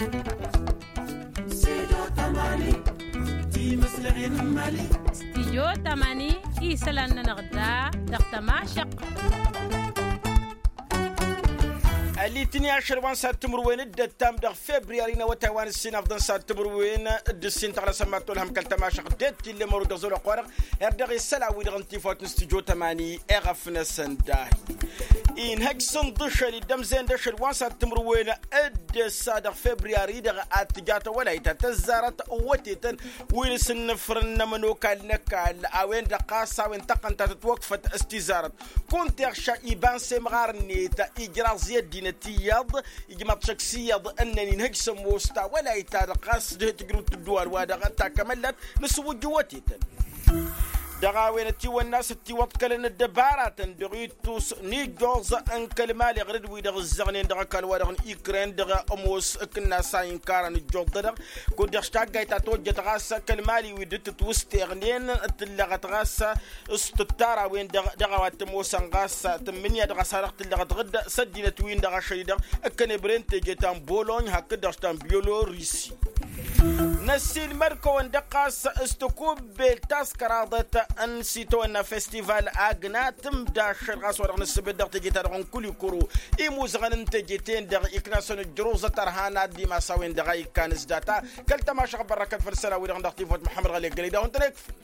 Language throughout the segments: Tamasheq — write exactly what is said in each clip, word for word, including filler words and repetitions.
Studio tamani isălan-nănăɣ da dăɣ-tămašăɣt. Ălitni ašăl wa n-sad timǝrwen d-ăttam dăɣ-febriyari n-awătay wa n-ǝssin afḍăn sad timǝrwen d-ǝssin tăɣlăsăn ma t-olhăm kăl-tămašăɣt d-tillem ărud dăɣ-zolăɣ wa-dăɣ. Erdăɣ isălan-wi-dăɣ n-tifawt n-studio tamani eɣăf-năsăn dahi. Inhăj s-inḍǝšăl iddămzen d-ašăl wa n-sad timǝrwen d-ăssa dăɣ-febriyari-dăɣ ad-tǝja tawălayt ta tăzzarăt wătetăn wi n-asǝnnǝfrǝn n-ămănokal n-ăkall a-wen-dăɣ ɣas a-wen tăqqăn ta tătwăkfăt s-tizarăt. Kunta iɣša iba n-semɣar-net ijraẓ i-ăddinăt iyyăḍ ijmaḍ šăkk s-iyyăḍ ǝnnăn inhăj s-ămoos tawălayt-ta-dăɣ ɣas d-he-tǝjrǝw tǝdduwal-wa-dăɣ ta kămăllat n-asǝwwǝjjǝw wătetăn. Dăɣ-a-wen ătiwănna a-s ătiwăḍkălăn ăddăbaratăn dăɣ-ittus n-ijjoẓ n-kăl-mali ɣǝr-dd wi-dăɣ ǝzzăɣnen dăɣ-ăkall-wa-dăɣ n-ikren dăɣ-ămoos ǝkǝnnas a inkarăn ǝjjoḍ-dăɣ. Kud-dăɣ s-taggayt ta tojjăt ɣas kăl-mali wi dd-tǝtwǝsteɣnen tǝllăɣăt ɣas s-tǝttara-wen-dăɣ dăɣ-a-wa t-ămoosăn ɣas tǝmmǝnǝya dăɣ-a-s a dăɣ-tǝllăɣăt ɣǝdd s-ăddinăt-win-dăɣ ašăl-i-dăɣ ǝkkăne băren teje ta n-bolony hakd-dăɣ s-ta n-biyolorisi. Năssiilmăd-kăwăn-dăɣ ɣas s-tăkubbelt ta s-kăraḍăt n-sitawănna festival agna tǝmda ašăl ɣas wa dăɣ-nǝssǝbǝd dăɣ-teje-ta-dăɣ n-kulikuru imuzăɣăn n-teje-ten-dăɣ iknasăn ǝjjăruẓăt ărhan ad-dimas a-wen-dăɣ a ikkan s-data. Kăl-tămašăɣ bărrăkăt făll-isălan-wi-dăɣ n-dăɣ-tifawt muḥămmăd ɣăli ăggălăy d-a-wen-tăn-ekfǝl.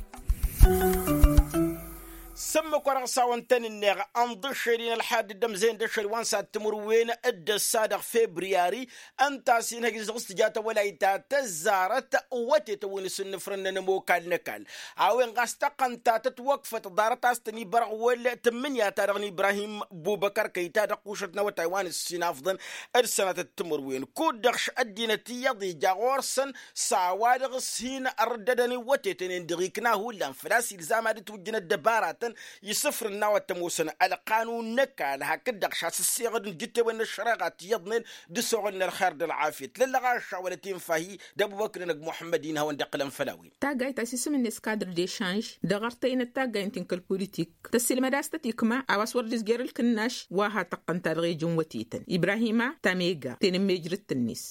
S-ǝmmǝk wa dăɣ-s a-wăn-tăn-ǝnneɣ ănḍǝššel-in ălḥad d-ămzeyăn d-ašăl wa n-sad timǝrwen d-ăssa dăɣ-febriyari ǝnta a-s inhăjj dăɣ-s tǝja tawălayt ta tăzzarăt. Wătetăn wi n-asǝnnǝfrǝnnăn ămokal n-ăkall a-wen ɣas tăqqăn ta tătwăkfăt ḍarăt a-s tăn-ibărăɣwăl tǝmmǝnǝya-ta-dăɣ n-ibrahim bubăkăr kăy-ta dăɣ-kušăt n-awătay wa n-ǝssin afḍăn d-sănatăt timǝrwen kud-dăɣ š-ăddinăt iyyăḍ ija ɣur-săn s-a-wa-dăɣ s-hin-ărrǝddădăn iwwătetăn-en-dăɣ ikna hullan făl-a-s ilzam ad-ǝtwǝjjǝn ăddăbaratăn isǝfrǝn n-a-wa t-ămoosăn ălqanun n-ăkall hakd-dăɣ šasǝsseɣăd n-ijǝttewen n-ăššăreɣa tiyyăḍnen d-ăsoɣǝl n-ălxer d-ălɣafyăt lăllăɣ ašawălăt infahi d-ăbubăkr n-ăgg muḥămmăd-in hawăn-dd-iqqǝlăn făll-a-wen. Taggayt ta s-isǝm-net kadr dešanž dăɣ-artăynăt taggaynt-in kăl-politik tăssiilmăd a-s tăt-ikma a-wa s-wăr dd-izjer ǝlkǝnnaš wa ha tăqqăn ta dăɣ-ejăn wătetăn ibrahima tamega tenămmejrǝt-net.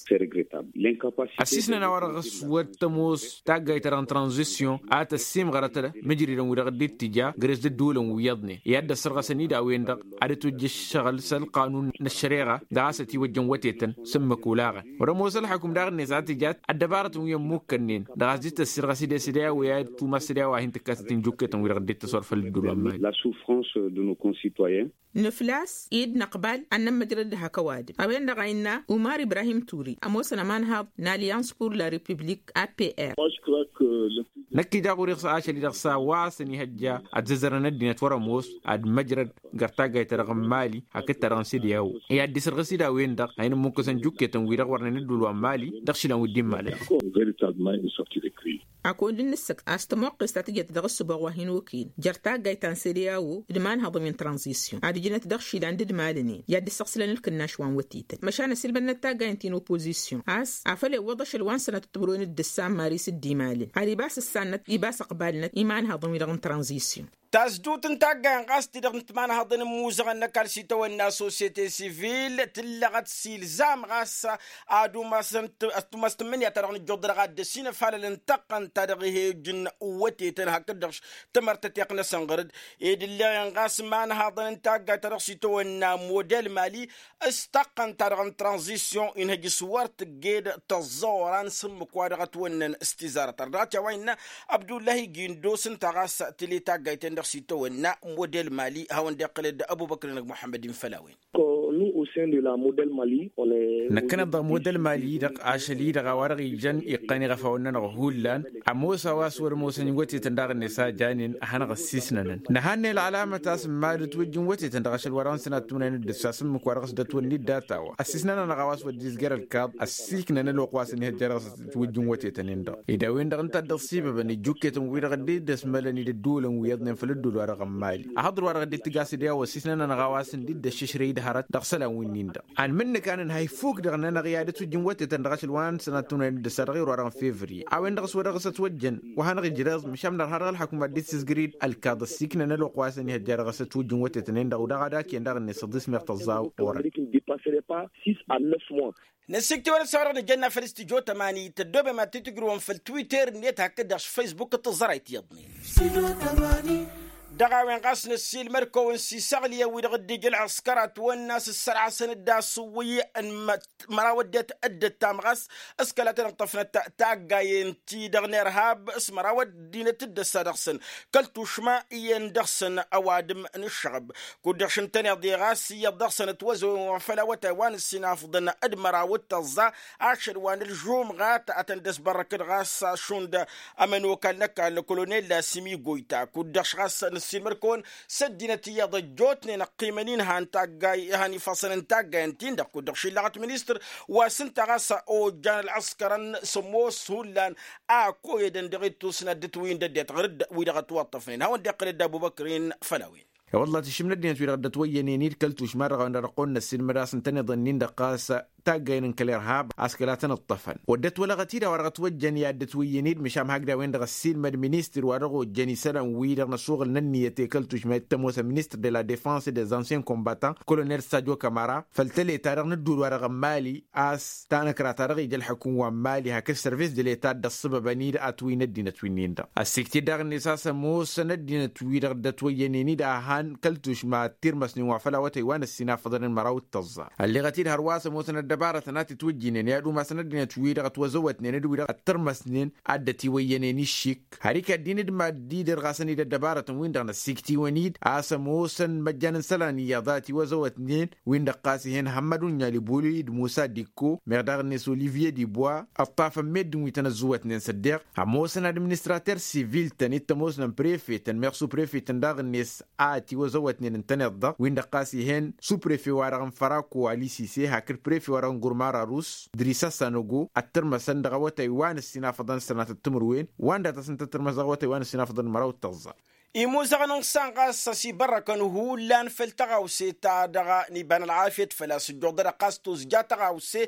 Ăssisnăn a-wa dăɣ-s wăr tămoos taggayt-ta-dăɣ n-tranzisyon a tăssimɣărăt mǝjridăn wi dăɣ-dd-ittǝja gres d-ădduulăn wi iyyăḍnen i-ad-dd-ăssărɣăsăn-dd a-wen-dăɣ ad-ătwǝjja ǝššăɣǝl s-ălqanun n-ăššăreɣa dăɣ-a-s ătiwăjjăn wătetăn s-ǝmmǝk olaɣăn wăr-ămoos ălḥukǝm daɣ-net a tǝjat ăddăbarătăn wi ămmukkănnen dăɣ-a-s dd-tăssirɣăs idesăd i-a-wa i-ad-tumas d-i-a-wa hin-tǝkkasăt n-jukketăn wi-dăɣ dd-tăswărfăl ădduul wa n-mali. Nǝflas ed năqbal ad-nămmăjrăd d-hak ăwadǝm a-wen-dăɣ a innă umar ibrahim turi ămoosăn ămanhaḍ n-alliance pour la republik. Apr. Năkk ija ɣur-i ašăl-i-dăɣ s-a-wa s-ănihăjja ad-zăzzărăn ăddinăt wăr-ămoos ad-măjrăd găr-taggayt-ta-dăɣ n-mali hakd-ta-dăɣ n-sede a-wo i-ad-dd-isărɣǝs-dd a-wen-dăɣ a hin-ǝmmǝkkǝsăn jukketăn-wi-dăɣ wărnen ădduul wa n-mali dăɣ-išilan wi dd-immalăn. Akund n-ǝssǝk a-s tămoqqest ta tǝjăt dăɣ-ǝssǝboɣ wa hin-okăyăn jer-taggayt ta n-sede a-wo d-imanhăḍăn wi n-tranzisyon ad-ǝjnăt dăɣ-išilan d-ǝdmalăn-en i-ad-dd-ǝssăɣsǝlăn ǝlkǝnnaš wa n-wătetăn măšan ăsilmădnăt taggaynt-in opozisyon a-s afăl iwwăḍ ašăl wa n-sănatăt timǝrwen d-ǝssa n-maris d-imalăn ad-ibas ǝssannăt ibas ăqbalnăt imanhăḍăn-wi-dăɣ n-tranzisyon. Tasdut n-taggayen ɣas ti-dăɣ n-timanhaḍăn n-imuzăɣăn n-ăkall s-itawănna sosyete sivil tǝllăɣăt s-ilzam ɣas ad-umas tǝmmǝnǝya-ta-dăɣ n-ǝjjuḍ-dăɣ ad-dd-ăsinăfalăl n-tăqqăn-ta-dăɣ ih'-ejǝn wătetăn hakd-dăɣ tǝmărt ătiqnăsăn ɣăr-dd ed ǝlleɣen ɣas imanhaḍăn n-taggayt-ta-dăɣ s-itawănna model mali s-tăqqăn-ta-dăɣ n-tranzisyon inhăj s-wăr tǝgged tăẓẓa oran s-ǝmmǝk wa dăɣ-ătwănnăn s-tizarăt ărdăɣăt i-a-wa innă abdullahi gindos ǝnta ɣas tǝle taggayt-en-dăɣ s-itawănna model mali hawăn-dd-iqqǝlăd ăbubăkr-năg muḥămmăd-in făll-a-wen. Năkkăneḍ dăɣ-model mali-i-dăɣ ašăl-i-dăɣ a-wa-dăɣ ijăn iqqăn iɣăfawăn-nănăɣ hullan ămoos a-wa s-wăr-ămoosăn iwătetăn daɣ-net a janen ad-hanăɣ-ăssisnănăn nǝhannăy ălɣălamăt a-s n-mad-ǝtwǝjjǝn wătetăn dăɣ-ašăl wa dăɣ-nǝsǝnat tunăyăn d-ǝssa s-ǝmmǝk wa dăɣ-s dd-ătwănna-dd data-wa ăssisnănăn-anăɣ a-wa s-wăr dd-izger ălkaḍ ăssiiknăn ălwăqq wa s-ănihăjja dăɣ-s ǝtwǝjjǝn wătetăn-in-dăɣ. Ed a-wen-dăɣ ǝnta a dd-ăṣṣibăbăn ijjukketăn-wi-dăɣ dd-ăsmălăn-dd ădduulăn wi iyyăḍnen făll-ădduul wa dăɣ-n mali ahăḍăr wa dăɣ-dd-tǝjja s-dd i-a-wa ăssisnănăn-anăɣ a-wa s-dd-ăššǝšrăy d-hărăt dăɣ-isălan wi-nin-dăɣ. Anmǝnnǝk a nǝnhăy fuk dăɣ-nănăɣ i-ad-ătwǝjjǝn wătetăn dăɣ-ašăl wa n-sănat tunăyăn d-ăssa dăɣ-iru wa dăɣ-n fevriye a-wen-dăɣ s-wa dăɣ-s ătwăjjăn wa hanăɣ-ijrăẓ măšan mănăɣ-har dăɣ-ălḥăkum ad-dd-sǝzgăr-dd ălkaḍ ăssiiknăn ălwăqq wa s-ănihăjja dăɣ-s ătwǝjjǝn wătetăn-en-dăɣ u-dăɣ ad-akǝyăn daɣ-net ăḍis meɣ tăẓẓa orăn. Năsiktiwăn s-a-wa-dăɣ nǝjănna făll-studyo tămani tăddoobem ad-t-tǝjrǝwăn făll-twitter-net hakd-dăɣ s-facebook d-tǝẓẓăray tiyyăḍnen. Dăɣ-a-wen ɣas năssiilmăd-kăwăn s-isăɣliyăn wi-dăɣ dd-ija ălɣǝskăr a ătwănna s-ǝssărɣasăn-dd asǝwwǝy n-măraw ăddinăt dd-ăttam ɣas s-kăla tăn-ǝṭṭăfnăt taggayen-ti-dăɣ n-irhab s-măraw ăddinăt dd-ăssa dăɣ-săn kăl-tušma iyyăn dăɣ-săn ăwadǝm n-ǝššăɣăb. Kud-dăɣ šintăneḍ-i ɣas iyyăḍ dăɣ-săn ătwăzăwen wa făll-awătay wa n-ǝssinafḍăn d-măraw d-tăẓẓa ašăl wa n-ălžumɣat ad-tăn-dd-ăsbărrăkăd ɣas šund ămănokal n-ăkall kolonel lasimi goyta kud-dăɣ š-ɣas nǝssinmăd-kăwăn s-ăddinăt iyyăḍ ăjjootnen ăqqimăn-in han taggay han ifassăn n-taggay ǝnta-in-dăɣ kud-dăɣ šillăɣăt ministăr wa s-ǝnta ɣas ojjan ălɣǝskărăn s-ămoos hullan a koyădăn dăɣ-ittus n-ad-dd-ǝtwǝyǝn d-ăddinăt ɣǝr-dd wi-dăɣ ătwăṭṭăfnen hawăn-dd-iqqǝl dd-abubăkr-in făll-a-wen. I-wălla tǝššǝm n-ăddinăt-wi-dăɣ dd-ătwăyyănen-dd kăl-tušma-dăɣ a-wen-dăɣ dăɣ-kăwăn-năssin mădas ǝntăneḍ-nin-dăɣ ɣas taggayăn n-kăl-irhab a-s kăla tăn-ǝṭṭăfăn wăr dd-ătwălăɣăt-dd a-wa-dăɣ ătwăjjăn i-ad-dd-ătwǝyyăn-dd măšan hakd a-wen-dăɣ ăssiilmăd ministăr wa dăɣ-ojjăn isălan-wi-dăɣ n-ăsuɣǝl n-ǝnniyăt i-kăl-tušma i-t-ămoosăn ministăr de la defense des anciens combattants kolonel sajo kamara făll-tăleta-dăɣ n-ădduul-wa-dăɣ n-mali a-s tanăkra ta dăɣ-ija ălḥăkum wa n-mali hakd service de leta dd-ăṣṣăbăbăn-dd atwǝy n-ăddinăt wi-nin-dăɣ ăssikt-dd daɣ-net a-s ămoosăn ăddinăt-wi-dăɣ dd-ătwăyyănen-dd a han kăl-tušma tirmăsnen wa făll-awătay wa n-ăssinafăḍăn d-măraw d-tăẓẓa. Ălleɣăt-dd hărwa a-s ămoosăn ăddăbarătăn a t-itwǝjjǝynen i-ad-umasăn ăddinăt-wi-dăɣ ătwăzăwătnen d-wi-dăɣ ăttărmăsnen ad-dd-ătiwăyyănen iššik har ikad-in d-mad-dd-irɣasăn-dd ăddăbarătăn win-dăɣ năssiktiwăn-dd a-s ămoosăn măjjan n-isălan iyyăḍ a ătiwăzăwătnen win-dăɣ ɣas ih'-en hămmăd unɲal ibuli d-musa dikko meɣ daɣ-net olivye dibwa ǝṭṭafăn meddǝn wi tăn-ăzzăwătnen s-ăddeɣ ămoosăn administrater sivil-tăn i t-ămoosnăn prefetăn meɣ su-prefetăn daɣ-net a ătiwăzăwătnen ǝntăneḍ-dăɣ win-dăɣ ɣas ih'-en su-prefe-wa-dăɣ n-fărako alisise hakd prefe-wa-dăɣ n-gurmara rus drisăssan ăgo ăttărmăsăn dăɣ-awătay wa n-ăssinafăḍăn sănatăt timǝrwen wa n-datas n-tăttărmăs dăɣ-awătay wa n-ăssinafăḍăn măraw d-tăẓẓa. Imuzăɣăn n-iṣṣan ɣas ăsibărrăkăn hullan făll-tăɣawse-ta-dăɣ n-iba n-ălɣafyăt făl-a-s ǝjjuḍăd ɣas tozja tăɣawse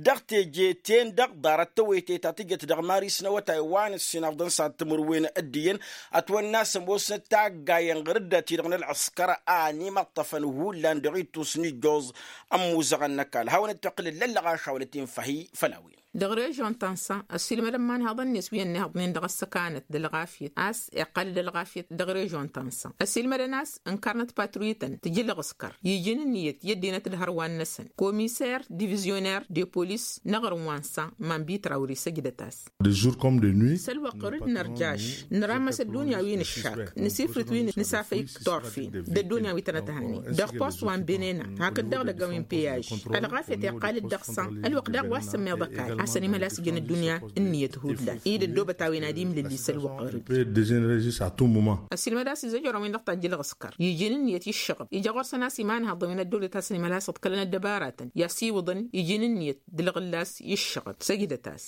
dăɣ-teje-ten-dăɣ ḍarăt tăwăyte ta tǝjăt dăɣ-maris n-awătay wa n-ǝssinăfḍăn s-ad-timǝrwen d-iyyăn ătwănna a-s ămoosnăt taggayăn ɣǝr-dd a ti-dăɣ n-ălɣǝskăr a ănimăṭṭăfăn hullan dăɣ-ittus n-ijjuẓ ămmuzăɣăn n-ăkall hawăn-dd-tiqqǝlǝl lăllăɣ ašawălăt-in făhi făll-a-wen. Dăɣ-režion ta n-san ăssiilmădăn imanhaḍăn-net wi ănnihaḍnen dăɣ-ăssăkanăt d-ălɣafyăt a-s iqqal-dd ălɣafyăt dăɣ-režion ta n-san ăssiilmădăn a-s ǝnkărnăt patruităn tǝjǝlɣǝskăr ijǝn ǝnniyăt i-ăddinăt d-hărwan-năsăn komiser divizyoner de polis n-aɣrǝm wa n-san mambitra wăr-isăjdăt a-s. Săl-wăqq ɣur-dd nărjaš năramăs ăddunya wi nǝššak nǝsifrǝt wi nǝsafăy torfen d-ăddunya wi tănăt-hanen dăɣ-post wa n-benena hakd dăɣ-lăgga wi n-peyaž. Ălɣafyăt iqqal-dd dăɣ-san ălwăqq daɣ wa s-sămmeḍ ăkall a-s ănimălas ijăn ăddunya ǝnniyăt hullan i-dd-ăddoobăt a-wen ad-imlǝlli săl-wăqq ɣur-dd. Ăssiilmăd a-s izăjrăn-win-dăɣ tajjǝlɣǝskăr ijăn ǝnniyăt i-ǝššăɣăb ija ɣur-săn a-s imanhaḍăn wi n-ăddăwlăt a-s ănimălas ǝḍkălăn ăddăbaratăn i-asiwǝḍăn ijăn ǝnniyăt d-ǝlɣǝllas i-ǝššăɣăb săjdăt-as.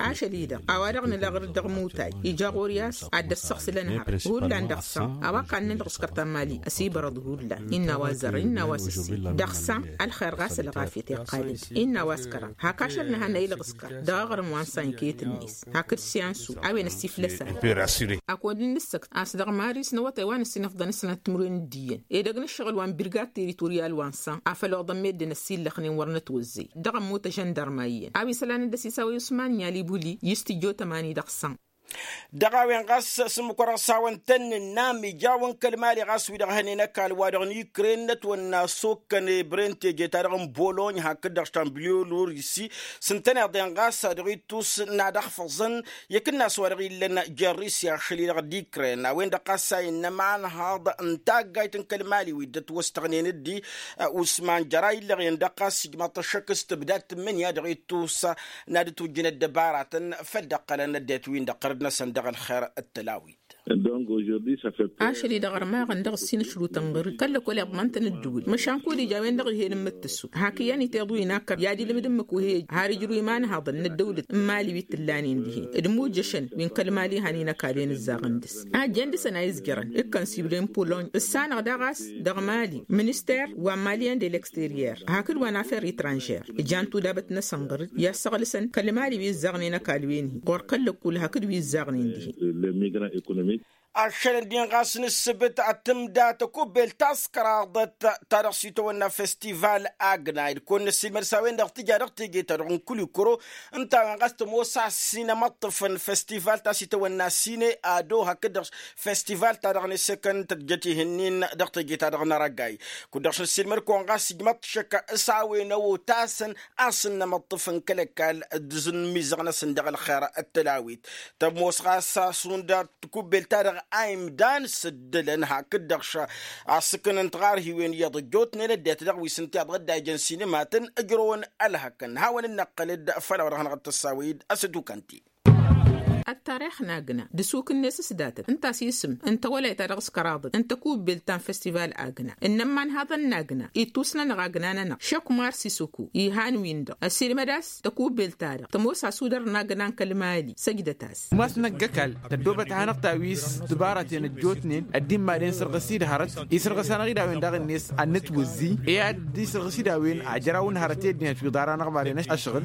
Ašăl-i-dăɣ a-wa-dăɣ nǝla ɣur-dd dăɣ-imutay ija ɣur-i a-s ad-dd-ăssăɣsǝl ănhăr hullan dăɣ-san a-wa kannăn ălɣǝskăr ta n-mali ăsibărăḍ hullan innă a-wa zărrăn innă a-wa sǝssin dăɣ-san ălxer ɣas ălɣafyăt iqqal-dd innă a-wa s-kăraḍ hak ašăl nǝhannăy ălɣǝskăr dăɣ-aɣrǝm wa n-sankeyăt-net hakd siyansu a-wen ăssiflăs-anăɣ. Akăwăn-dd-nǝssăkt a-s dăɣ-maris n-awătay wa n-ăssinăfḍăn s-sănat timǝrwen d-iyyăn edăgg n-ǝššăɣǝl wa n-birgad teritoryal wa n-san a făl oḍăn meddǝn ăssillăxnen wăr nătwăzzey dăɣ-ămmut ažăndărma iyyăn a-wa isălan dd-ăsisawăy usman n-yalibuli i-studyo tămani dăɣ-san. Dăɣ-a-wen ɣas s-ǝmmǝk-wa-dăɣ s-hawăn-tăn-nǝnnam ija-wăn kăl-mali ɣas wi-dăɣ hănen ăkall-wa-dăɣ n-ikren n-ătwănna s-okkăn ebren teje-ta-dăɣ n-bolony hakd-dăɣ š-tamblio lurisi s-ǝntăneḍ-en ɣas dăɣ-ittus n-ad-ăxfăẓăn i-akǝnnas wa dăɣ-illăn jer-risi ašăl-i-dăɣ d-ikren a-wen-dăɣ ɣas a innă imanhaḍ n-taggayt n-kăl-mali wi dd-ătwăstăɣnen dd-i usman jăra illăɣen-dăɣ ɣas ijmaḍ-t ăššăk s-tǝbdad tǝmmǝnǝya dăɣ-ittus n-ad-ǝtwǝjjǝn ăddăbaratăn făl dd-ăqqălăn ăddinăt-win-dăɣ ɣărăd-năsăn dăɣ-ălxer d-tălawit. Ašăl-i-dăɣ ărmaɣăn dăɣ-ǝssin ǝšrutăn ɣăr-dd kăl-lăkol iḍman-tăn ǝddǝwǝl măšan kud-ija a-wen-dăɣ ih'-en ǝmmǝttǝsu hak iyyăn iteḍ wi n-akăr i-ad-ilmǝd ǝmmǝk wa he-ija har ijrǝw imanhaḍăn n-ăddăwlăt n-mali wi t-tǝllanen dihen d-imujjăšăn wi n-kăl-mali han-in ăkall-en ǝzzaɣăn dăɣ-s ajjăn dăɣ-săn a izjărăn ǝkkăn s-ibre n-polony ǝssanăɣ daɣ a-s dăɣ-mali minister wa n-malien de l'exterier hakd wa n-affer etranžer ǝjan tudabăt-năsăn ɣăr-dd i-ad-săɣlǝsăn kăl-mali wi ǝzzaɣnen ăkall-wen-hi ɣur-kăl-lăkkul hakd wi ǝzzaɣnen dihen. Ašălăn-din ɣas n-ǝssǝbǝt ad-tǝmda tăkubbelt ta s-kăraḍăt ta dăɣ-s itawănna festival agna ed kăwăn-năssiilmăd s-a-wen-dăɣ tǝja dăɣ-teje-ta-dăɣ n-kulikuro. Ǝnta a-wen ɣas tămoos a-s sinămăṭṭǝfăn festival ta s-itawănna sine ado hakd-dăɣ festival ta dăɣ-nesăkăn tăjjăt ihǝnnin dăɣ-teje-ta-dăɣ n-arăgay. Kud-dăɣ s-năssiilmăd-kăwăn ɣas ijmăḍ-t šăkk s-a-wen ăwotasăn a-s ǝnnămăṭṭǝfăn kăl-ăkall d-izǝnmizăɣ-năsăn dăɣ-ălxer d-tălawit. Tămoos ɣas a-s hundăɣ tikubbelt-ta-dăɣ a imdan s-ǝddǝlăn hakd-dăɣ šăkk a-s ǝknăn tiɣarhiwen iyyăḍ ăjjootnen ăddinăt dăɣ-wi s-ǝnta iyyăḍ dd-a ijăn sinima-tăn ǝjrăwăn ălhăkăn hawăn-dd-năqqăl-dd. Făll-a-wa dăɣ-hanăɣ-t ăssawăy-dd ăsătukăn-ti. Ăttarix n-agna d-asukǝnnes s-datăt ǝnta a-s isǝm n-tawălayt ta dăɣ-s kăraḍăt n-tăkubbelt ta n-festival agna ǝnnăn imanhaḍăn n-agna ittusnănăɣ agna-nănăɣ šăkk mar s-isǝku ihan-win-dăɣ ăsilmăd a-s tăkubbelt-ta-dăɣ tămoos asudăr n-agna n-kăl-mali săjdăt-as. Mas năgg-ăkall tăddoobăt hanăɣ-ta wi s-tǝbaraten ăjjootnen ăddin madăn sărɣǝs-dd hărăt isărɣǝs-anăɣ-dd a-wen daɣ-net ad-nǝtwǝzzi i-ad-isărɣǝs-dd a-wen ajăraw n-hărăt i-ăddinăt wi ḍarănăɣ madăn ašăɣǝl.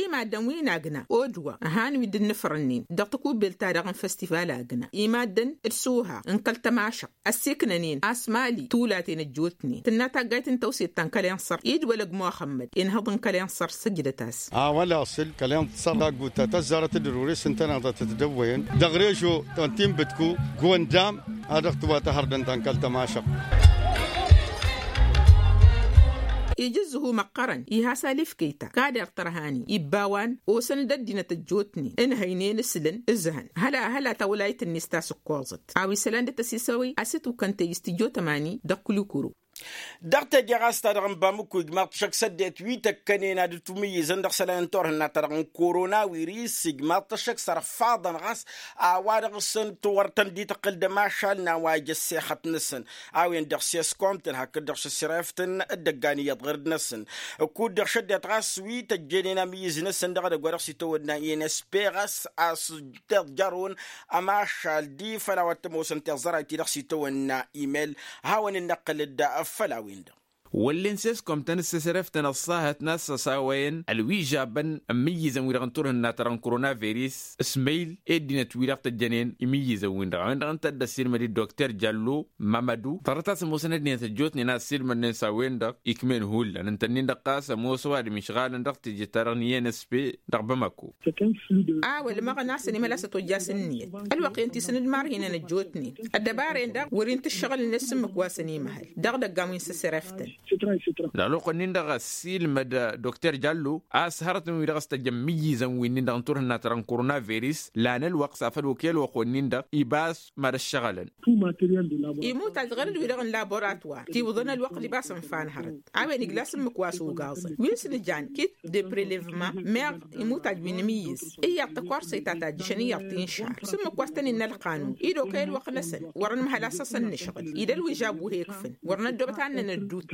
I-maddăn wi n-agna odwa ăhan wi dd-nǝfrănnen dăɣ-takubbelt-ta-dăɣ n-festival agna i-maddăn d-suha n-kăl-tămašăɣt ăssiiknănen a-s mali tulaten ăjjootnen tǝnna taggayt n-tawset ta n-kăl-inṣăr idwălăg muxămmăd inhăḍ n-kăl-inṣăr săjdăt-as. A-wa l-asǝl kăl-inṣăr agguta tăzzarăt d-ărures ǝntăneḍ a tăt-dăwwăyăn dăɣ-režo ta n-tinbǝtku. Gundam a dăɣ-tǝwatăhărdăn ta n-kăl-tămašăɣt. Ija ǝzzǝhu măqqărăn iha s-alifkăy-ta kader tărhani ibba a-wa n-osăn d-ăddinăt ăjjootnen ǝnhăynen ǝslǝn ǝzhăn hăla hăla tawlayt-net ta s-ǝkkoẓăt a-wa isălan d-tăsisăwăy a-s ătukăn tăyy s-tijjo tămani dăɣ-kulikuro. Dăɣ-teje ɣas ta dăɣ-nǝbamǝkku ijmaḍ-t šăkk s-ăddinăt wi tăkkănen ad-dd-tumǝyyǝzăn dăɣ-isălan n-turhǝnna ta dăɣ-n korona wiris ijmaḍ-t šăkk sărfaḍăn ɣas a-wa dăɣ-săn tiwărtăn dd-tăqqǝl d-ămašal n-a-wa ija ăssexăt-năsăn a-wen-dăɣ s-eskomtăn hakd-dăɣ šăssirăyăftăn d-ăggan iyyăḍ ɣǝr-dd-năsăn. Kud-dăɣ šăddinăt ɣas wi tăjjănen amǝyyǝz-năsăn dăɣ-edăgg wa dăɣ-s itawădna i n s p ɣas a-s tăjjărrǝwăn ămašal d-i făll-a-wa t-ămoosăn tiẓẓăray-ti-dăɣ s-itawănna imel. Hawăn-dd-năqqǝl-dd făll-a-wen-dăɣ. Wăllen s-eskomtăn d-săsrăftăn ăṣṣahăt n-a-s ăsawăyăn ălwižabăn n-imǝyyǝzăn-wi-dăɣ n-turhǝnna-ta-dăɣ n-koronavirus s-măyl i-ăddinăt-wi-dăɣ tăjjănen imǝyyǝzăn-win-dăɣ a-wen-dăɣ ǝnta a dd-ăssiilmăd-dd dokter jallo mamădu ḍarăt a-s ămoosăn ăddinăt ăjjootnen a ăssiilmădnen s-a-wen-dăɣ ikm'-en hullan ǝnta-nin-dăɣ ɣas ămoos ăwadǝm išɣalăn dăɣ-teje-ta-dăɣ n-i n s p dăɣ-bamako. A-wa ălmăɣăn a-s ănimăla s-ătojjasăn ǝnniyăt ălwăqq-en ti s-nǝdmar hinăn ăjjootnen ăddăbaren-dăɣ wăr-in-tǝššăɣǝlăn s-ǝmmǝk wa s-ănimăhăl dăɣ-idăggan wi n-săsrăftăn. Ălwăqq-nin-dăɣ ăssiilmăd dokter jallo a-s hărătăn-wi-dăɣ s-tăjjăn imǝyyǝzăn-winnin-dăɣ n-turhǝnna-ta-dăɣ n-koronavirus lan ălwăqq s-afăl okăy ălwăqq-wen-nin-dăɣ iba a-s mad-ăššăɣǝlăn. Imutaj ɣărăd-wi-dăɣ n-laborator tiwǝḍăn ălwăqq libas ǝnfa n-hărăt a-wen igla s-ǝmmǝk wa s-ugaẓăn wi s-nǝjan kit de prelevement meɣ imutaj wi n-imǝyyǝz iyyăḍ tăkorsăy ta tajjǝšăn iyyăḍ tinšar s-ǝmmǝk wa s-tăn-innă ălqanun-i d-okăy ălwăqq-năsăn wăr-nǝmhăl a-s asăn-nǝšɣǝl-i d-ălwǝžžab wi he-ǝkfǝn wăr năddoobăt ad-nănăddut.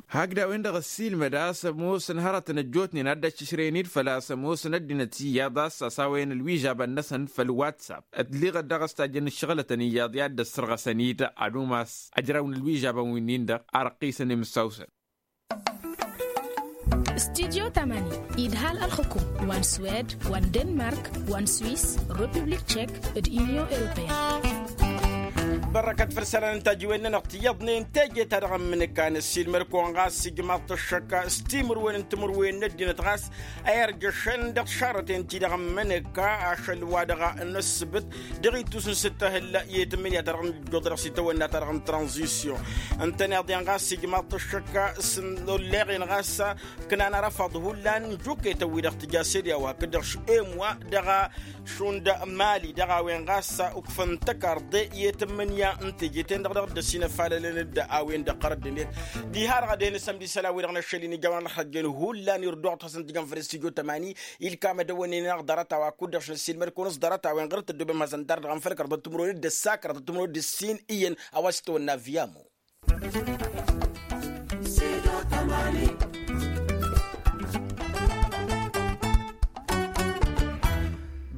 Hakd a-wen-dăɣ ăssiilmăd a-s ămoosăn hărătăn ăjjootnen ad-dd-ăššǝšrăyăn-dd făl-a-s ămoosăn ăddinăt iyyăḍ a-s ăsawăyăn ălwižabăn-năsăn făll-whatsapp ătliɣăt daɣ a-s tajjăn ǝššăɣǝlătăn iyyăḍ i-ad-dd-ăssărɣăsăn-dd ad-umas ăjraw n-ălwižabăn-winnin-dăɣ a răqqisăn imǝssawsăn. Studyo tamani idhal ălxǝkum wa n-swed wa n-denmark wa n-swiss republik tchek d-union europeen. Bărrăkăt făll-isălan n-tajǝwen-nănăɣ tiyyăḍnen teje-ta-dăɣ ămmǝnǝka n-ăssiilmăd-kăwăn ɣas ijmaḍ-t ăššăk s-timǝrwen n-timǝrwen n-ăddinăt ɣas a irjăšăn dăɣ-tišarrăten-ti-dăɣ ămmǝnǝka ašăl wa dăɣ-nǝssǝbǝt dăɣ-ittus n-sǝttăhǝl i-tǝmmǝnǝya-ta-dăɣ n-ǝjjuḍ dăɣ-s itawănna-ta-dăɣ n-tranzisyon. Ǝntăneḍ-en ɣas ijmaḍ-t ăššăk s-n-olleɣ-en ɣas ǝknan arăfaḍ hullan n-juketăn-wi-dăɣ tǝja sede a-wa hakd-dăɣ š-emwa dăɣ-šund mali dăɣ-a-wen ɣas ukfăn tăkarḍe i-tǝmmǝnǝya n-teje-ten-dăɣ dăɣ-dd-ăsinăfalălăn-dd a-wen-dăɣ ɣărădd-net. Diha-dăɣ ad-dd-hin-isămd isălan-wi-dăɣ n-ašăl-in ijawăn ălxăjjăn hullan irduɣ-t hasăn-t-ijăn făll-studyo tămani ilkam ad-ăwănnen-anăɣ ḍarăt-a-wa kud-dăɣ šăn ăssiilmăd-kăwăn s-ḍarăt-a-wen ɣur-tăddobem hasăn-tar-dăɣ ănfăl kăraḍăt timǝrwen d-ăssa kăraḍăt timǝrwen d-ǝssin iyyăn a-wa s-tăwănna viyamo.